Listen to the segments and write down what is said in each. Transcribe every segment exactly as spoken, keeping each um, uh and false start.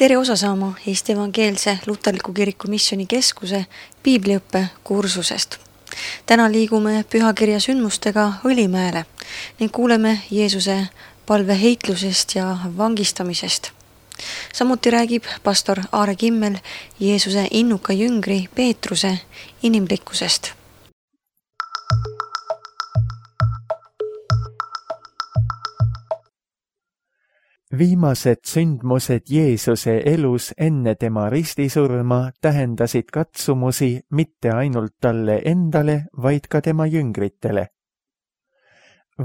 Tere osa saama Eesti Evangeelse Luterliku Kiriku Missiooni Keskuse piibliõppe kursusest. Täna liigume pühakirja sündmustega Õlimäele ning kuuleme Jeesuse palveheitlusest ja vangistamisest. Samuti räägib pastor Aare Kimmel Jeesuse innuka jüngri Peetruse inimlikkusest. Viimased sündmused Jeesuse elus enne tema ristisurma tähendasid katsumusi mitte ainult talle endale, vaid ka tema jüngritele.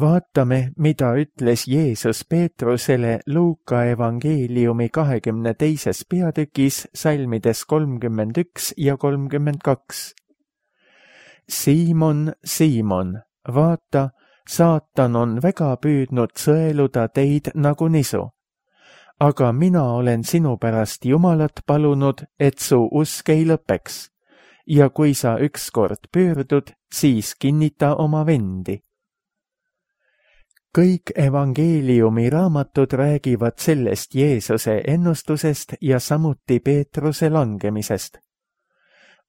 Vaatame, mida ütles Jeesus Peetrusele Luuka evangeeliumi kahekümne teises peatükis salmides kolmkümmend üks ja kolmkümmend kaks. Siimon, Siimon, vaata, saatan on väga püüdnud sõeluda teid nagu nisu. Aga mina olen sinu pärast Jumalat palunud, et su usk ei lõpeks. Ja kui sa ükskord pöördud, siis kinnita oma vendi. Kõik evangeeliumi raamatud räägivad sellest Jeesuse ennustusest ja samuti Peetruse langemisest.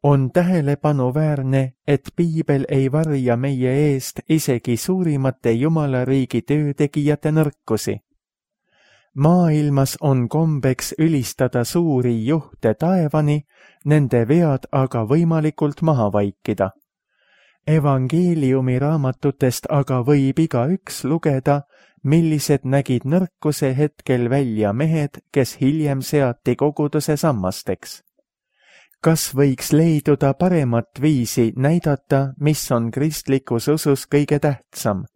On tähelepanuväärne, et piibel ei varja meie eest isegi suurimate Jumalariigi töötegijate nõrkusi. Maailmas on kombeks ülistada suuri juhte taevani, nende vead aga võimalikult maha vaikida. Evangeeliumi raamatutest aga võib igaüks lugeda, millised nägid nõrkuse hetkel välja mehed, kes hiljem seati koguduse sammasteks. Kas võiks leiduda paremat viisi näidata, mis on kristlikus usus kõige tähtsam?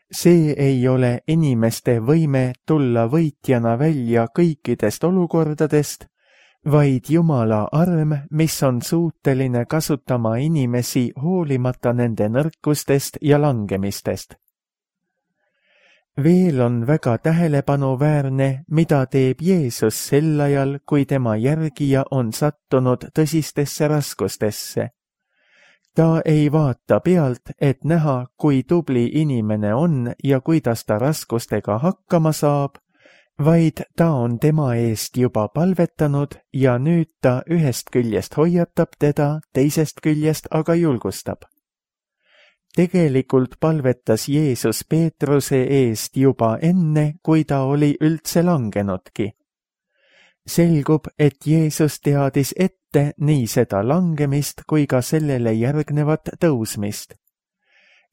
See ei ole inimeste võime tulla võitjana välja kõikidest olukordadest, vaid Jumala arm, mis on suuteline kasutama inimesi hoolimata nende nõrkustest ja langemistest. Veel on väga tähelepanuväärne, mida teeb Jeesus sel ajal, kui tema järgija on sattunud tõsistesse raskustesse. Ta ei vaata pealt, et näha, kui tubli inimene on ja kuidas ta raskustega hakkama saab, vaid ta on tema eest juba palvetanud ja nüüd ta ühest küljest hoiatab teda, teisest küljest aga julgustab. Tegelikult palvetas Jeesus Peetruse eest juba enne, kui ta oli üldse langenudki. Selgub, et Jeesus teadis ette nii seda langemist kui ka sellele järgnevat tõusmist.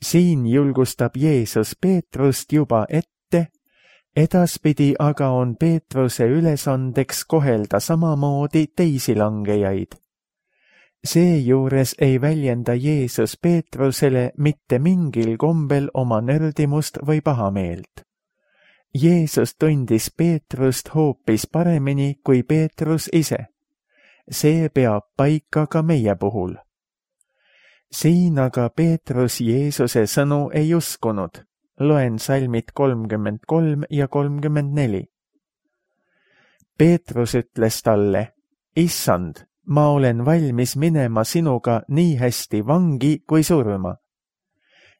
Siin julgustab Jeesus Peetrust juba ette, edaspidi aga on Peetruse ülesandeks kohelda samamoodi teisi langejaid. Seejuures ei väljenda Jeesus Peetrusele mitte mingil kombel oma nördimust või pahameelt. Jeesus tundis Peetrust hoopis paremini kui Peetrus ise. See peab paika ka meie puhul. Siin aga Peetrus Jeesuse sõnu ei uskunud. Loen salmid kolmkümmend kolm ja kolmkümmend neli. Peetrus ütles talle, Issand, ma olen valmis minema sinuga nii hästi vangi kui surma.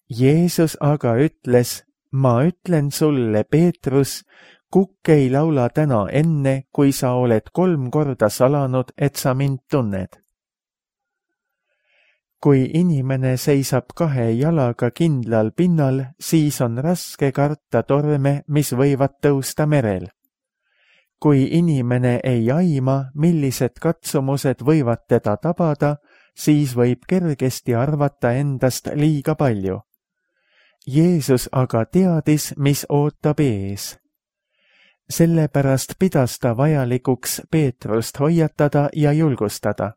Jeesus aga ütles, ma ütlen sulle, Peetrus, kukk ei laula täna enne, kui sa oled kolm korda salanud, et sa mind tunned. Kui inimene seisab kahe jalaga kindlal pinnal, siis on raske karta torme, mis võivad tõusta merel. Kui inimene ei aima, millised katsumused võivad teda tabada, siis võib kergesti arvata endast liiga palju. Jeesus aga teadis, mis ootab ees. Sellepärast pidas ta vajalikuks Peetrust hoiatada ja julgustada.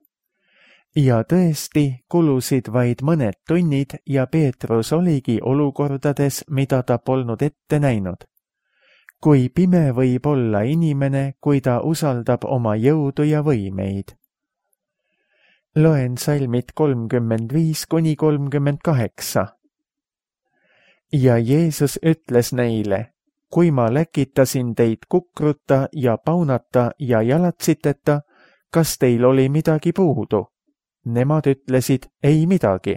Ja tõesti kulusid vaid mõned tunnid ja Peetrus oligi olukordades, mida ta polnud ette näinud. Kui pime võib olla inimene, kui ta usaldab oma jõudu ja võimeid. Loen salmid kolmkümmend viis kuni kolmkümmend kaheksa. Ja Jeesus ütles neile, kui ma läkitasin teid kukruta ja paunata ja jalatsiteta, kas teil oli midagi puudu? Nemad ütlesid, ei midagi.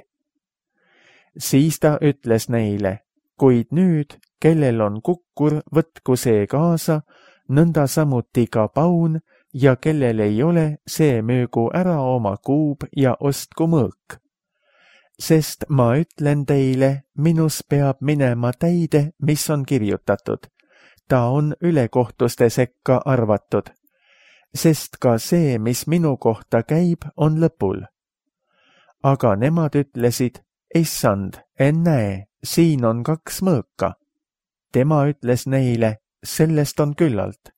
Siis ta ütles neile, kuid nüüd, kellel on kukkur, võtku see kaasa, nõnda samuti ka paun ja kellel ei ole, see müügu ära oma kuub ja ostku mõõk. Sest ma ütlen teile, minus peab minema täide, mis on kirjutatud. Ta on ülekohtuste sekka arvatud. Sest ka see, mis minu kohta käib, on lõpul. Aga nemad ütlesid, issand, ennäe, siin on kaks mõõka. Tema ütles neile, sellest on küllalt.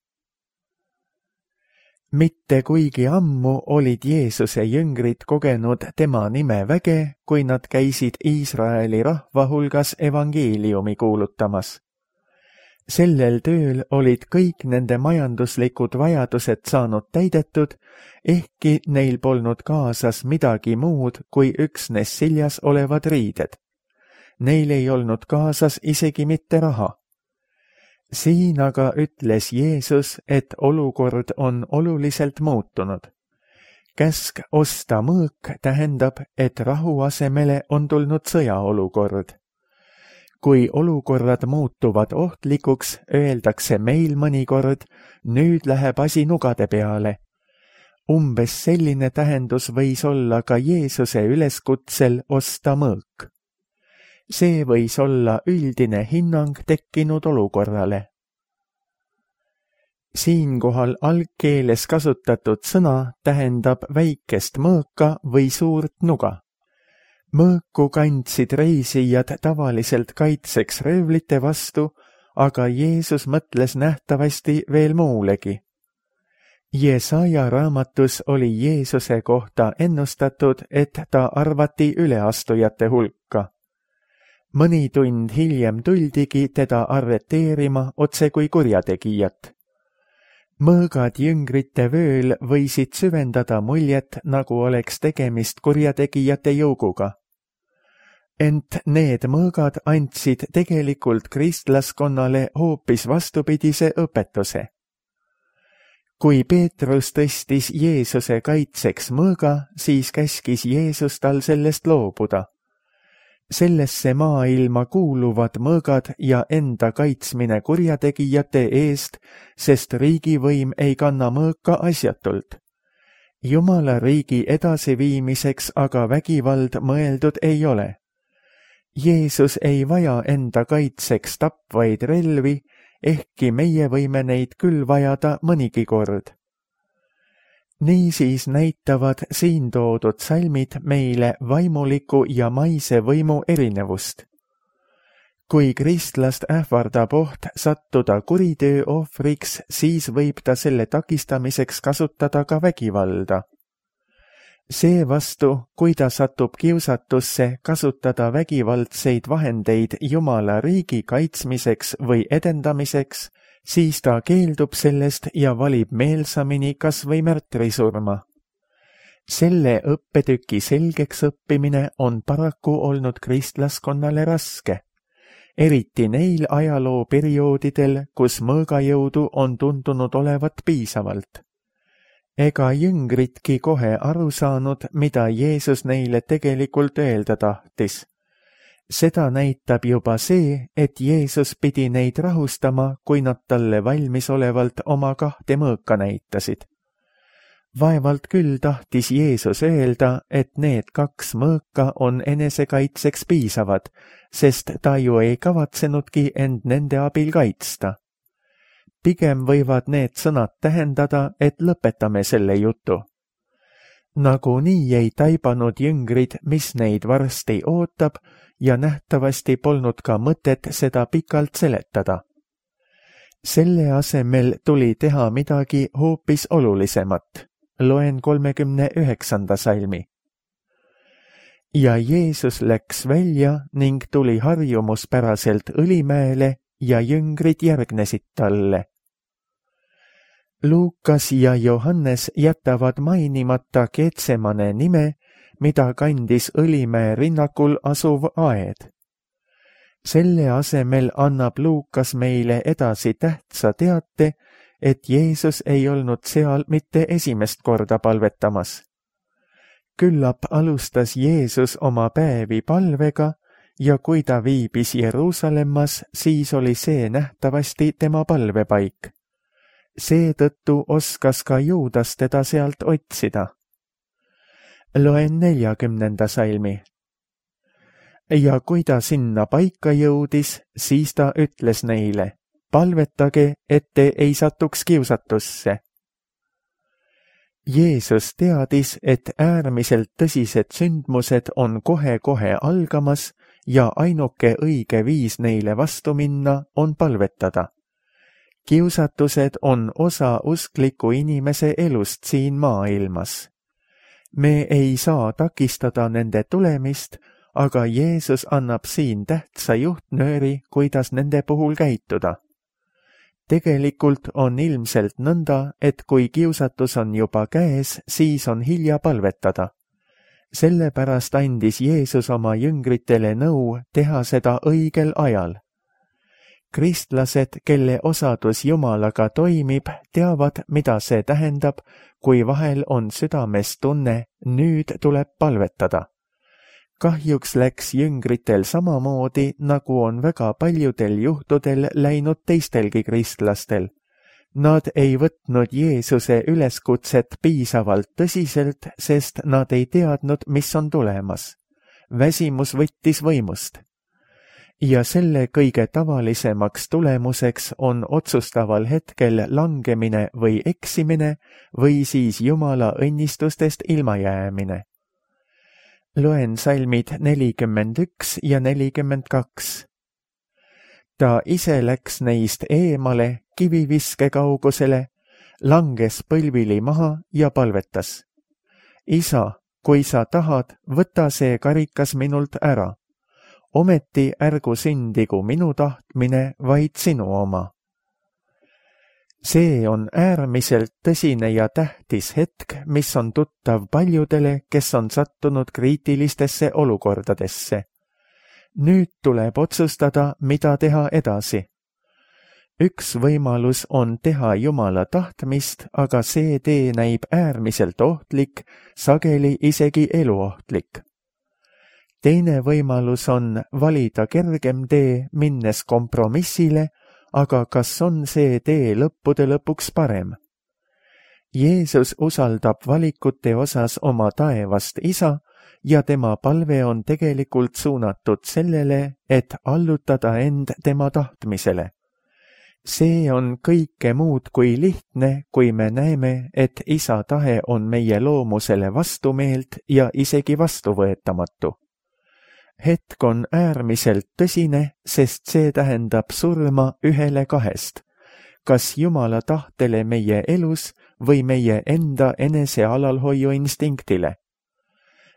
Mitte kuigi ammu olid Jeesuse jüngrid kogenud tema nime väge, kui nad käisid Iisraeli rahva hulgas evangeeliumi kuulutamas. Sellel tööl olid kõik nende majanduslikud vajadused saanud täidetud, ehkki neil polnud kaasas midagi muud kui üksnes siljas olevad riided. Neil ei olnud kaasas isegi mitte raha. Siin aga ütles Jeesus, et olukord on oluliselt muutunud. Käsk osta mõõk tähendab, et rahu asemele on tulnud sõjaolukord. Kui olukorrad muutuvad ohtlikuks, öeldakse meil mõnikord, nüüd läheb asi nugade peale. Umbes selline tähendus võis olla ka Jeesuse üleskutsel osta mõõk. See võis olla üldine hinnang tekkinud olukorrale. Siinkohal algkeeles kasutatud sõna tähendab väikest mõõka või suurt nuga. Mõõku kandsid reisijad tavaliselt kaitseks röövlite vastu, aga Jeesus mõtles nähtavasti veel muulegi. Jesaja raamatus oli Jeesuse kohta ennustatud, et ta arvati üleastujate hulka. Mõni tund hiljem tuldigi teda arreteerima otse kui kurjategijat. Mõõgad jüngrite vööl võisid süvendada muljet, nagu oleks tegemist kurjategijate jõuguga. Ent need mõõgad andsid tegelikult kristlaskonnale hoopis vastupidise õpetuse. Kui Peetrus tõstis Jeesuse kaitseks mõõga, siis käskis Jeesus tal sellest loobuda. Sellesse maailma kuuluvad mõõgad ja enda kaitsmine kurjategijate eest, sest riigivõim ei kanna mõõka asjatult. Jumala riigi edasiviimiseks aga vägivald mõeldud ei ole. Jeesus ei vaja enda kaitseks tapvaid relvi, ehkki meie võime neid küll vajada mõnigi kord. Niisiis näitavad siin toodud salmid meile vaimuliku ja maise võimu erinevust. Kui kristlast ähvardab oht sattuda kuritöö ohvriks, siis võib ta selle takistamiseks kasutada ka vägivalda. Seevastu, kui ta satub kiusatusse kasutada vägivaldseid vahendeid Jumala riigi kaitsmiseks või edendamiseks, siis ta keeldub sellest ja valib meelsamini kas või märtrisurma. Selle õppetüki selgeks õppimine on paraku olnud kristlaskonnale raske, eriti neil ajalooperioodidel, kus mõõgajõudu on tundunud olevat piisavalt. Ega jüngritki kohe aru saanud, mida Jeesus neile tegelikult öelda tahtis. Seda näitab juba see, et Jeesus pidi neid rahustama, kui nad talle valmisolevalt oma kahte mõõka näitasid. Vaevalt küll tahtis Jeesus öelda, et need kaks mõõka on enesekaitseks piisavad, sest ta ju ei kavatsenudki end nende abil kaitsta. Pigem võivad need sõnad tähendada, et lõpetame selle jutu. Nagunii ei taibanud jüngrid, mis neid varsti ootab, ja nähtavasti polnud ka mõtet seda pikalt seletada. Selle asemel tuli teha midagi hoopis olulisemat. Loen kolmekümne üheksanda salmi. Ja Jeesus läks välja ning tuli harjumuspäraselt Õlimäele ja jüngrid järgnesid talle. Luukas ja Johannes jätavad mainimata Getsemane nime, mida kandis Õlimäe rinnakul asuv aed. Selle asemel annab Luukas meile edasi tähtsa teate, et Jeesus ei olnud seal mitte esimest korda palvetamas. Küllap alustas Jeesus oma päevi palvega ja kui ta viibis Jeruusalemmas, siis oli see nähtavasti tema palvepaik. Seetõttu oskas ka Juudas teda sealt otsida. Loen neljakümnenda salmi. Ja kui ta sinna paika jõudis, siis ta ütles neile, palvetage, et te ei satuks kiusatusse. Jeesus teadis, et äärmiselt tõsised sündmused on kohe-kohe algamas ja ainuke õige viis neile vastu minna on palvetada. Kiusatused on osa uskliku inimese elust siin maailmas. Me ei saa takistada nende tulemist, aga Jeesus annab siin tähtsa juhtnööri, kuidas nende puhul käituda. Tegelikult on ilmselt nõnda, et kui kiusatus on juba käes, siis on hilja palvetada. Sellepärast andis Jeesus oma jüngritele nõu teha seda õigel ajal. Kristlased, kelle osadus Jumalaga toimib, teavad, mida see tähendab, kui vahel on südames tunne, nüüd tuleb palvetada. Kahjuks läks jüngritel samamoodi, nagu on väga paljudel juhtudel läinud teistelgi kristlastel. Nad ei võtnud Jeesuse üleskutset piisavalt tõsiselt, sest nad ei teadnud, mis on tulemas. Väsimus võttis võimust. Ja selle kõige tavalisemaks tulemuseks on otsustaval hetkel langemine või eksimine või siis Jumala õnnistustest ilmajäämine. Loen salmid nelikümmend üks ja nelikümmend kaks. Ta ise läks neist eemale kiviviske kaugusele, langes põlvili maha ja palvetas. Isa, kui sa tahad, võta see karikas minult ära. Ometi ärgu sündigu minu tahtmine, vaid sinu oma. See on äärmiselt tõsine ja tähtis hetk, mis on tuttav paljudele, kes on sattunud kriitilistesse olukordadesse. Nüüd tuleb otsustada, mida teha edasi. Üks võimalus on teha Jumala tahtmist, aga see tee näib äärmiselt ohtlik, sageli isegi eluohtlik. Teine võimalus on valida kergem tee, minnes kompromissile, aga kas on see tee lõppude lõpuks parem? Jeesus usaldab valikute osas oma taevast isa ja tema palve on tegelikult suunatud sellele, et allutada end tema tahtmisele. See on kõike muud kui lihtne, kui me näeme, et isa tahe on meie loomusele vastumeelt ja isegi vastuvõetamatu. Hetk on äärmiselt tõsine, sest see tähendab surma ühele kahest, kas Jumala tahtele meie elus või meie enda enese alalhoiu instinktile.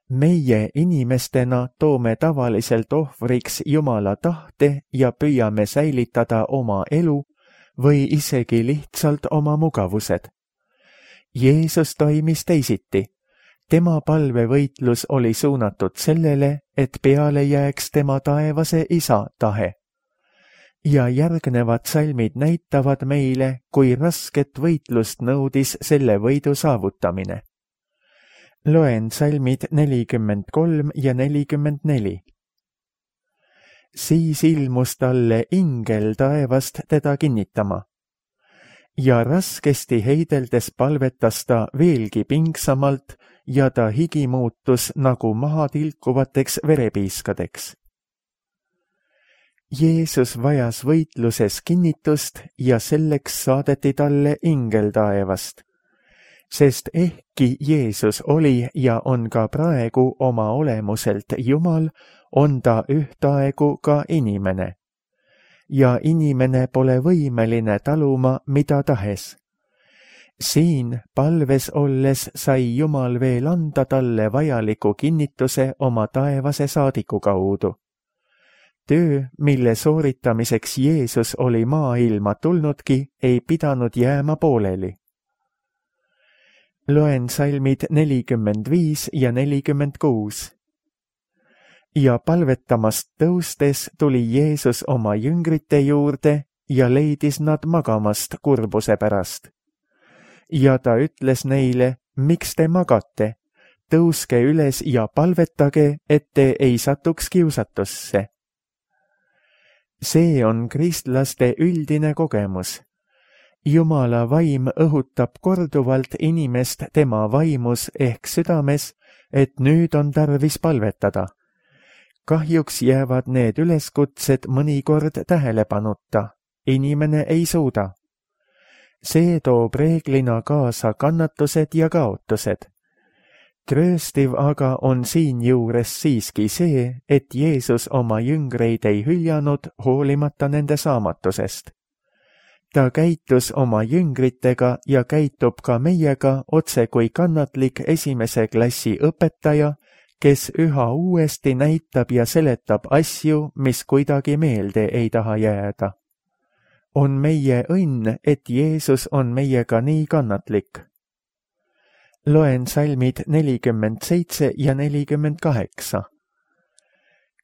Meie inimestena toome tavaliselt ohvriks Jumala tahte ja püüame säilitada oma elu või isegi lihtsalt oma mugavused. Jeesus toimis teisiti. Tema palvevõitlus oli suunatud sellele, et peale jääks tema taevase isa tahe. Ja järgnevad salmid näitavad meile, kui rasket võitlust nõudis selle võidu saavutamine. Loen salmid nelikümmend kolm ja nelikümmend neli. Siis ilmus talle ingel taevast teda kinnitama. Ja raskesti heideldes palvetas ta veelgi pingsamalt, ja ta higi muutus nagu maha tilkuvateks verepiiskadeks. Jeesus vajas võitluses kinnitust ja selleks saadeti talle ingel taevast, sest ehkki Jeesus oli ja on ka praegu oma olemuselt Jumal, on ta ühtaegu ka inimene. Ja inimene pole võimeline taluma mida tahes. Siin palves olles sai Jumal veel anda talle vajaliku kinnituse oma taevase saadiku kaudu. Töö, mille sooritamiseks Jeesus oli maailma tulnudki, ei pidanud jääma pooleli. Loen salmid nelikümmend viis ja nelikümmend kuus. Ja palvetamast tõustes tuli Jeesus oma jüngrite juurde ja leidis nad magamast kurbuse pärast. Ja ta ütles neile, miks te magate, tõuske üles ja palvetage, et te ei satuks kiusatusse. See on kristlaste üldine kogemus. Jumala vaim õhutab korduvalt inimest tema vaimus ehk südames, et nüüd on tarvis palvetada. Kahjuks jäävad need üleskutsed mõnikord tähelepanuta. Inimene ei suuda. See toob reeglina kaasa kannatused ja kaotused. Trööstiv aga on siinjuures siiski see, et Jeesus oma jüngreid ei hüljanud hoolimata nende saamatusest. Ta käitus oma jüngritega ja käitub ka meiega otse kui kannatlik esimese klassi õpetaja, kes üha uuesti näitab ja seletab asju, mis kuidagi meelde ei taha jääda. On meie õnn, et Jeesus on meiega nii kannatlik. Loen salmid nelikümmend seitse ja nelikümmend kaheksa.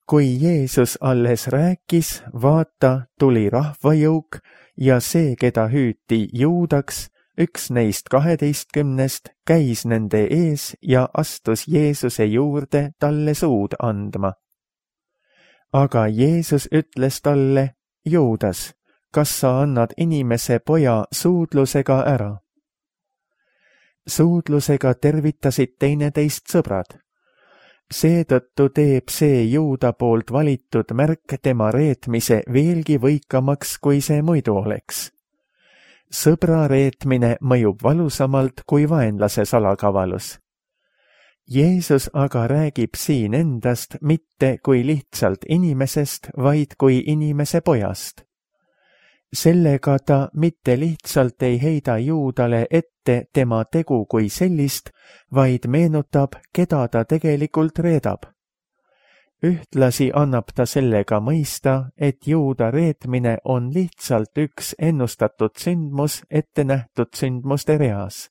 Kui Jeesus alles rääkis, vaata, tuli rahvajõuk ja see, keda hüüti Juudaks, üks neist kaheteistkümnest, käis nende ees ja astus Jeesuse juurde talle suud andma. Aga Jeesus ütles talle, Juudas, kas sa annad inimese poja suudlusega ära? Suudlusega tervitasid teineteist sõbrad. Seetõttu teeb see Juuda poolt valitud märk tema reetmise veelgi võikamaks, kui see muidu oleks. Sõbra reetmine mõjub valusamalt kui vaenlase salakavalus. Jeesus aga räägib siin endast mitte kui lihtsalt inimesest, vaid kui inimese pojast. Sellega ta mitte lihtsalt ei heida Juudale ette tema tegu kui sellist, vaid meenutab, keda ta tegelikult reedab. Ühtlasi annab ta sellega mõista, et Juuda reetmine on lihtsalt üks ennustatud sündmus ette nähtud sündmuste reas.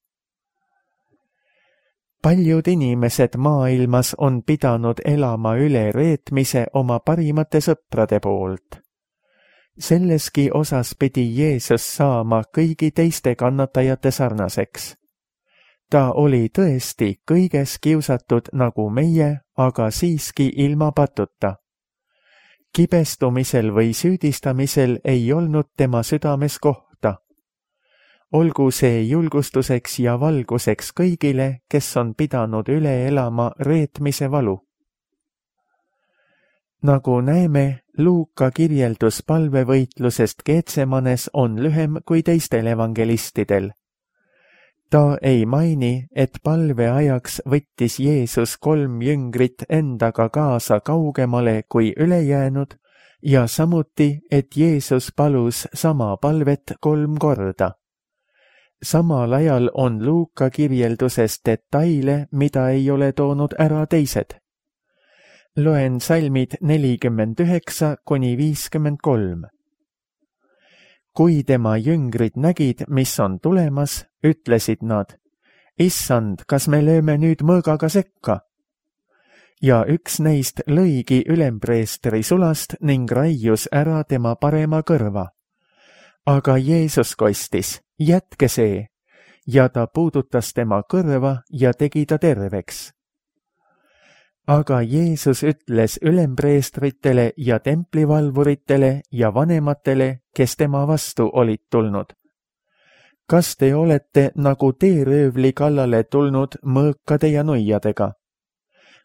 Paljud inimesed maailmas on pidanud elama üle reetmise oma parimate sõprade poolt. Selleski osas pidi Jeesus saama kõigi teiste kannatajate sarnaseks. Ta oli tõesti kõiges kiusatud nagu meie, aga siiski ilma patuta. Kibestumisel või süüdistamisel ei olnud tema südames kohta. Olgu see julgustuseks ja valguseks kõigile, kes on pidanud üle elama reetmise valu. Nagu näeme, Luuka kirjeldus palvevõitlusest Geetsemanes on lühem kui teistel evangelistidel. Ta ei maini, et palve ajaks võttis Jeesus kolm jüngrit endaga kaasa kaugemale kui ülejäänud ja samuti, et Jeesus palus sama palvet kolm korda. Samal ajal on Luuka kirjelduses detaile, mida ei ole toonud ära teised. Loen salmid nelikümmend üheksa kuni viiskümmend kolm. Kui tema jüngrid nägid, mis on tulemas, ütlesid nad, Issand, kas me lööme nüüd mõõgaga sekka? Ja üks neist lõigi ülempreestri sulast ning raius ära tema parema kõrva. Aga Jeesus kostis, jätke see, ja ta puudutas tema kõrva ja tegi ta terveks. Aga Jeesus ütles ülempreestritele ja templivalvuritele ja vanematele, kes tema vastu olid tulnud. Kas te olete nagu teeröövli kallale tulnud mõõkade ja nuiadega?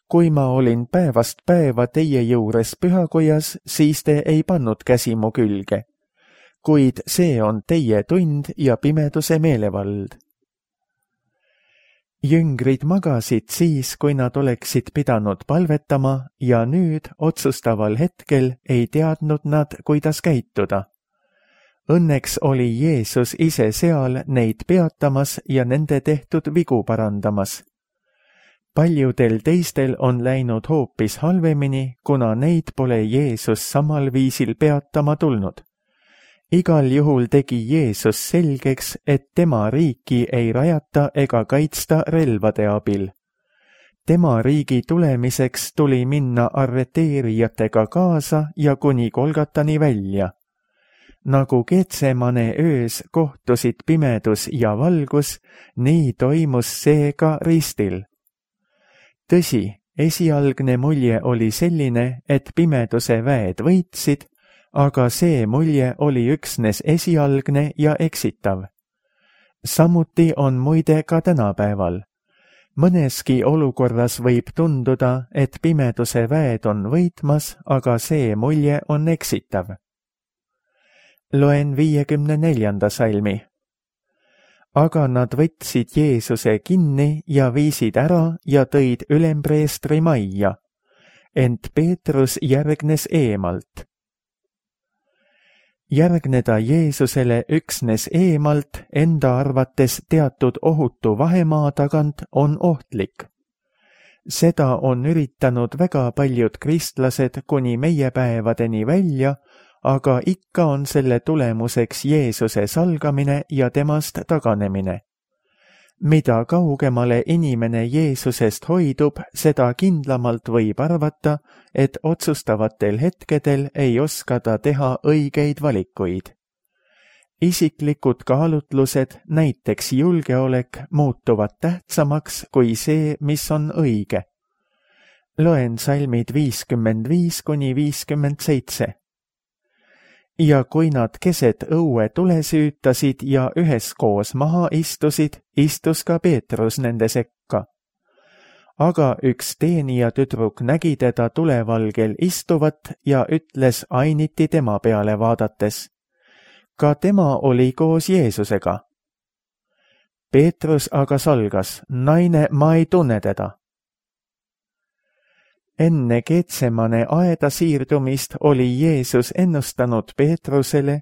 Kui ma olin päevast päeva teie juures pühakojas, siis te ei pannud käsi mu külge. Kuid see on teie tund ja pimeduse meelevald. Jüngrid magasid siis, kui nad oleksid pidanud palvetama ja nüüd otsustaval hetkel ei teadnud nad, kuidas käituda. Õnneks oli Jeesus ise seal neid peatamas ja nende tehtud vigu parandamas. Paljudel teistel on läinud hoopis halvemini, kuna neid pole Jeesus samal viisil peatama tulnud. Igal juhul tegi Jeesus selgeks, et tema riiki ei rajata ega kaitsta relvade abil. Tema riigi tulemiseks tuli minna arreteerijatega kaasa ja kuni Golgatani välja. Nagu Getsemane öös kohtusid pimedus ja valgus, nii toimus see ka ristil. Tõsi, esialgne mulje oli selline, et pimeduse väed võitsid, aga see mulje oli üksnes esialgne ja eksitav. samuti on muide ka tänapäeval. Mõneski olukorras võib tunduda, et pimeduse väed on võitmas, aga see mulje on eksitav. Loen viiekümne neljanda salmi. Aga nad võtsid Jeesuse kinni ja viisid ära ja tõid ülempreestri majja, ent Peetrus järgnes eemalt. Järgneda Jeesusele üksnes eemalt enda arvates teatud ohutu vahemaa tagant on ohtlik. Seda on üritanud väga paljud kristlased kuni meie päevadeni välja, aga ikka on selle tulemuseks Jeesuse salgamine ja temast taganemine. Mida kaugemale inimene Jeesusest hoidub, seda kindlamalt võib arvata, et otsustavatel hetkedel ei oska ta teha õigeid valikuid. Isiklikud kaalutlused, näiteks julgeolek, muutuvad tähtsamaks kui see, mis on õige. Loen salmid viiskümmend viis kuni viiskümmend seitse. Ja kui nad keset õue tule süütasid ja üheskoos maha istusid, istus ka Peetrus nende sekka. Aga üks teenija tüdruk nägi teda tulevalgel istuvat ja ütles ainiti tema peale vaadates. Ka tema oli koos Jeesusega. Peetrus aga salgas, naine, ma ei tunne teda. Enne Getsemane aeda siirdumist oli Jeesus ennustanud Peetrusele,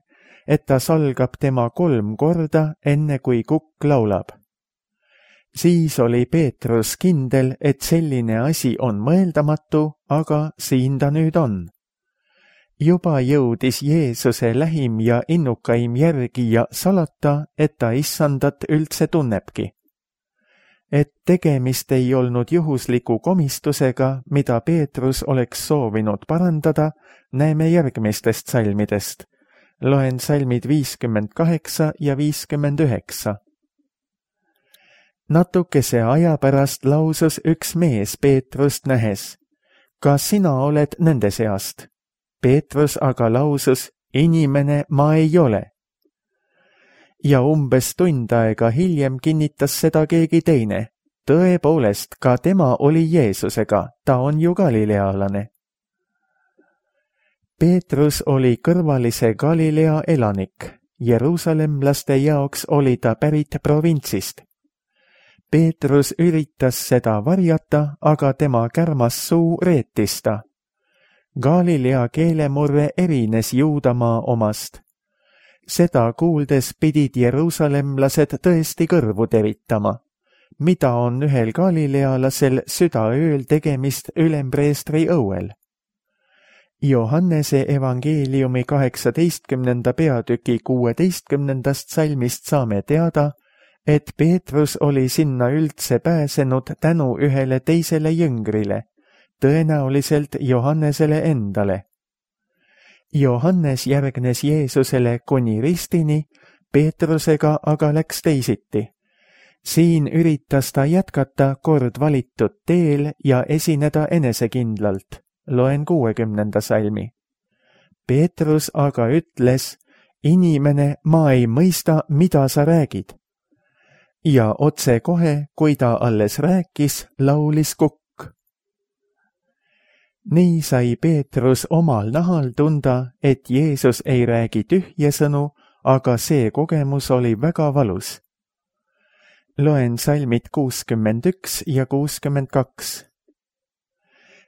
et ta salgab tema kolm korda, enne kui kukk laulab. Siis oli Peetrus kindel, et selline asi on mõeldamatu, aga siin ta nüüd on. Juba jõudis Jeesuse lähim ja innukaim järgi ja salata, et ta issandat üldse tunnebki. Et tegemist ei olnud juhusliku komistusega, mida Peetrus oleks soovinud parandada, näeme järgmistest salmidest. Loen salmid viiskümmend kaheksa ja viiskümmend üheksa. Natukese aja pärast lausus üks mees Peetrust nähes. Kas sina oled nende seast? Peetrus aga lausus, inimene ma ei ole. Ja umbes tund aega hiljem kinnitas seda keegi teine. Tõepoolest, ka tema oli Jeesusega, ta on ju galilealane. Peetrus oli kõrvalise Galilea elanik. Jeruusalemlaste jaoks oli ta pärit provintsist. Peetrus üritas seda varjata, aga tema kärmas suu reetis ta. Galilea keelemurre erines Juudamaa omast. Seda kuuldes pidid jeruusalemlased tõesti kõrvu teritama. Mida on ühel galilealasel südaööl tegemist ülempreestri õuel? Johannese evangeeliumi kaheksateistkümnenda peatüki kuueteistkümnendast salmist saame teada, et Peetrus oli sinna üldse pääsenud tänu ühele teisele jüngrile, tõenäoliselt Johannesele endale. Johannes järgnes Jeesusele kuni ristini, Peetrusega aga läks teisiti. Siin üritas ta jätkata kord valitud teel ja esineda enesekindlalt. Loen kuuekümnenda salmi. Peetrus aga ütles, inimene, ma ei mõista, mida sa räägid. Ja otse kohe, kui ta alles rääkis, laulis kukk. Nii sai Peetrus omal nahal tunda, et Jeesus ei räägi tühje sõnu, aga see kogemus oli väga valus. Loen salmid kuuskümmend üks ja kuuskümmend kaks.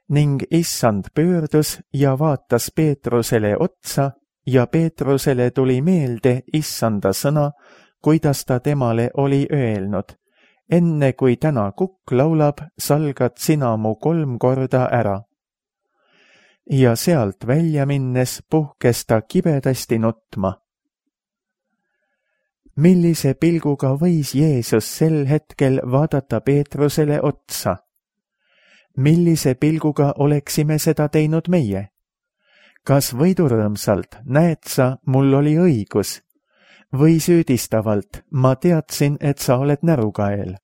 Ning issand pöördus ja vaatas Peetrusele otsa ja Peetrusele tuli meelde issanda sõna, kuidas ta temale oli öelnud. Enne kui täna kukk laulab, salgad sina mu kolm korda ära. Ja sealt välja minnes puhkes ta kibedasti nutma. Millise pilguga võis Jeesus sel hetkel vaadata Peetrusele otsa? Millise pilguga oleksime seda teinud meie? Kas võidurõõmsalt, näed sa, mul oli õigus? Või süüdistavalt, ma teadsin, et sa oled närukael?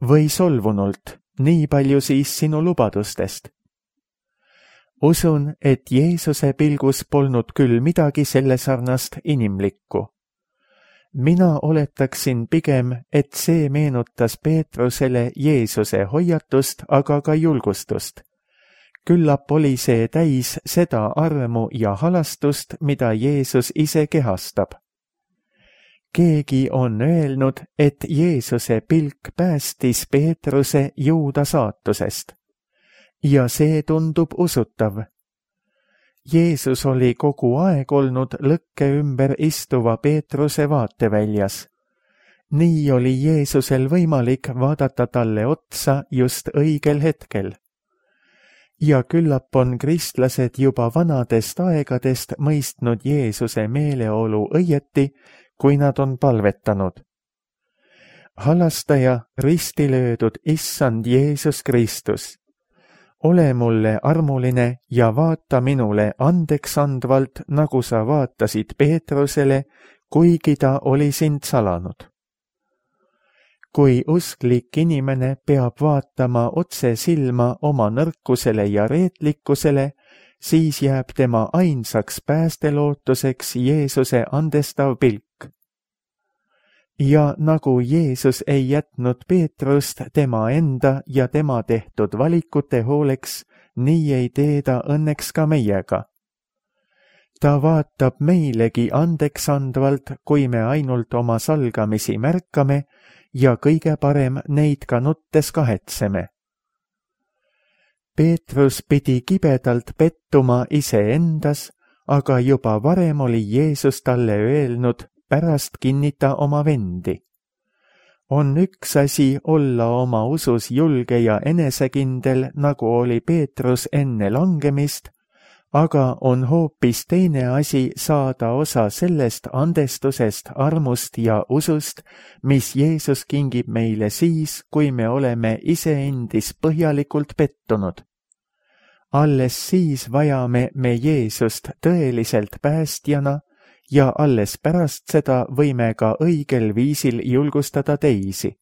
Või solvunult, nii palju siis sinu lubadustest? Usun, et Jeesuse pilgus polnud küll midagi selle sarnast inimlikku. mina oletaksin pigem, et see meenutas Peetrusele Jeesuse hoiatust, aga ka julgustust. Küllap oli see täis seda armu ja halastust, mida Jeesus ise kehastab. Keegi on öelnud, et Jeesuse pilk päästis Peetruse Juuda saatusest. Ja see tundub usutav. Jeesus oli kogu aeg olnud lõkke ümber istuva Peetruse vaateväljas. Nii oli Jeesusel võimalik vaadata talle otsa just õigel hetkel. Ja küllap on kristlased juba vanadest aegadest mõistnud Jeesuse meeleolu õieti, kui nad on palvetanud. Halastaja, risti löödud issand Jeesus Kristus, ole mulle armuline ja vaata minule andeks andvalt, nagu sa vaatasid Peetrusele, kuigi ta oli sind salanud. Kui usklik inimene peab vaatama otse silma oma nõrkusele ja reetlikkusele, siis jääb tema ainsaks päästelootuseks Jeesuse andestav pilk. Ja nagu Jeesus ei jätnud Peetrust tema enda ja tema tehtud valikute hooleks, nii ei tee ta õnneks ka meiega. Ta vaatab meilegi andeks andvalt, kui me ainult oma salgamisi märkame ja kõige parem neid ka nuttes kahetseme. Peetrus pidi kibedalt pettuma iseendas, aga juba varem oli Jeesus talle öelnud, pärast kinnita oma vendi. On üks asi olla oma usus julge ja enesekindel, nagu oli Peetrus enne langemist, aga on hoopis teine asi saada osa sellest andestusest, armust ja usust, mis Jeesus kingib meile siis, kui me oleme iseendis põhjalikult pettunud. Alles siis vajame me Jeesust tõeliselt päästjana ja alles pärast seda võime ka õigel viisil julgustada teisi.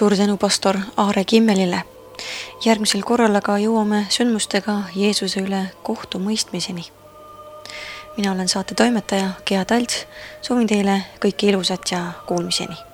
Suur tänu pastor Aare Kimmelile. Järgmisel korral aga jõuame sündmustega Jeesuse üle kohtumõistmiseni. Mina olen saate toimetaja Gea Talts, soovin teile kõike ilusat ja kuulmiseni.